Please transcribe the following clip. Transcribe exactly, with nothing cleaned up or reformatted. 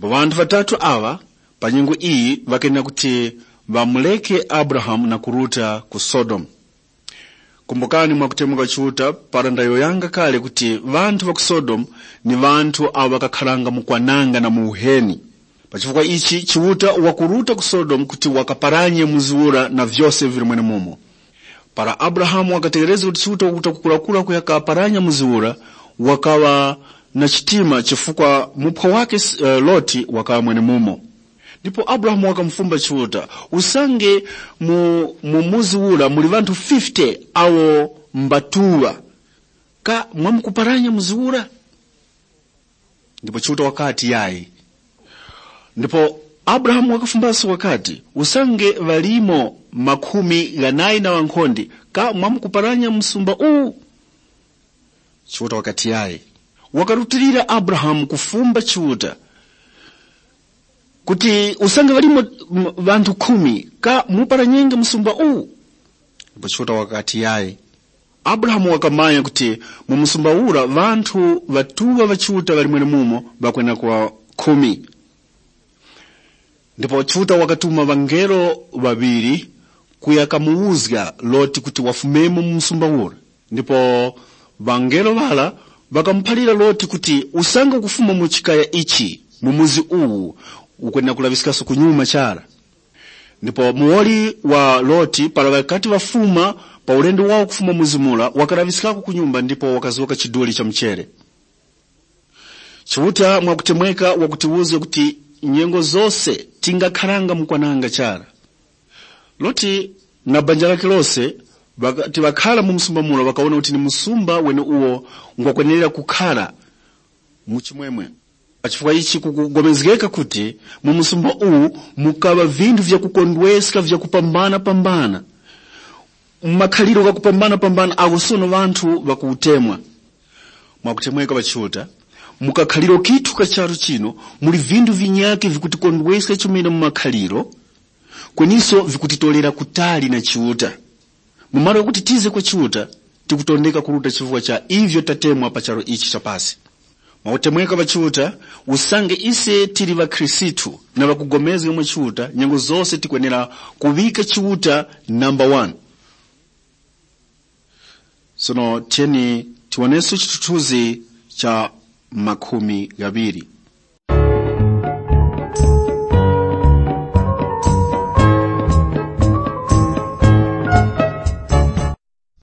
Ŵanthu ŵatatu aŵa pa nyengo iyi ŵakenera kuti ŵamureke Abrahamu na kuruta ku Sodomu. Kumbukani mwakutemwa kwa Chiuta para ndayowoyanga kale kuti ŵanthu ŵa ku Sodomu ni ŵanthu awo ŵakakharanga mu kwananga na mu uheni. Pa chifukwa ichi Chiuta wakuruta ku Sodomu kuti wakaparanye muzi ura na vyose vili mwenemumo. Para Abrahamu wakategherezga kuti Chiuta wakuruta kukurakura kuya kaparanya muzi ura, wakaŵa na chitima chifukwa muphwa wakhe eh, Loti wakaŵa mwenemumo. Ndipo Abrahamu wakamufumba Chiuta, usange mu, mu muzi ura muli ŵanthu fifty awo mbatuŵa, ka mwamkuparanya muzi ura? Ndipo Chiuta wakati, yayi. Ndipo Abrahamu wakafumbaso wakati, usange ŵalimo makhumi ghanayi na ŵankhonde, ka mwamkuparanya msumba uwu? Chiuta wakati, yayi. Wakarutilira Abrahamu kufumba Chiuta kuti usange ŵalimo m- ŵanthu khumi, ka muparanyenge msumba uwu? Ndipo Chiuta wakati, yayi. Abrahamu wakamanya kuti mu msumba ura ŵanthu ŵatuŵa ŵa Chiuta ŵali mwenemumo ŵakwenera kuŵa khumi. Ndipo Chiuta wakatuma ŵangelo ŵaŵiri kuya kamuwuzga Loti kuti wafumemo mu msumba ura. Ndipo ŵangelo ŵara ŵakamuphalira Loti kuti, usange ukufuma mu chikaya ichi, mu muzi uwu, ukwenera kulaŵiskaso kunyuma chara. Ndipo muwoli wa Loti para ŵakati ŵafuma pa ulendo wawo kufuma mu mzimura, wakalaŵiskako ku nyumba ndipo wakazgoka chiduli cha mchere. Chiuta mwakutemweka wakutiwuzga kuti nyengo zose tingakharanga mu kwananga chara. Loti na banja lake lose ŵakati ŵakhara mu msumba mura ŵakawona kuti ni msumba weneuwo ngwakwenerera kukhara mu chimwemwe. Pa chifukwa ichi kukupulikana kuti mu msumba uwu mukaŵa vinthu vyakukondweska vyakupambana-pambana, makhaliro ghakupambana-pambana agho sono ŵanthu ŵakuutemwa. Mwakutemweka ŵachiuta, mu kakhaliro kithu ka charu chino muli vinthu vinyakhe vikutikondweska chomene mu makhaliro, kweniso vikutitorera kutali na Chiuta. Mu malo ghakuti tize kwa Chiuta, tikutondeka kuruta chifukwa cha ivyo tatemwa pa charu ichi cha pasi. Mwakutemweka ŵa Chiuta, usange ise tili ŵakhristu na ŵakupulikana mwa Chiuta, nyengo zose tikwenera kuŵika Chiuta namba wani. Sono tiyeni tiwoneso chithunzithunzi cha makhumi ghaŵiri.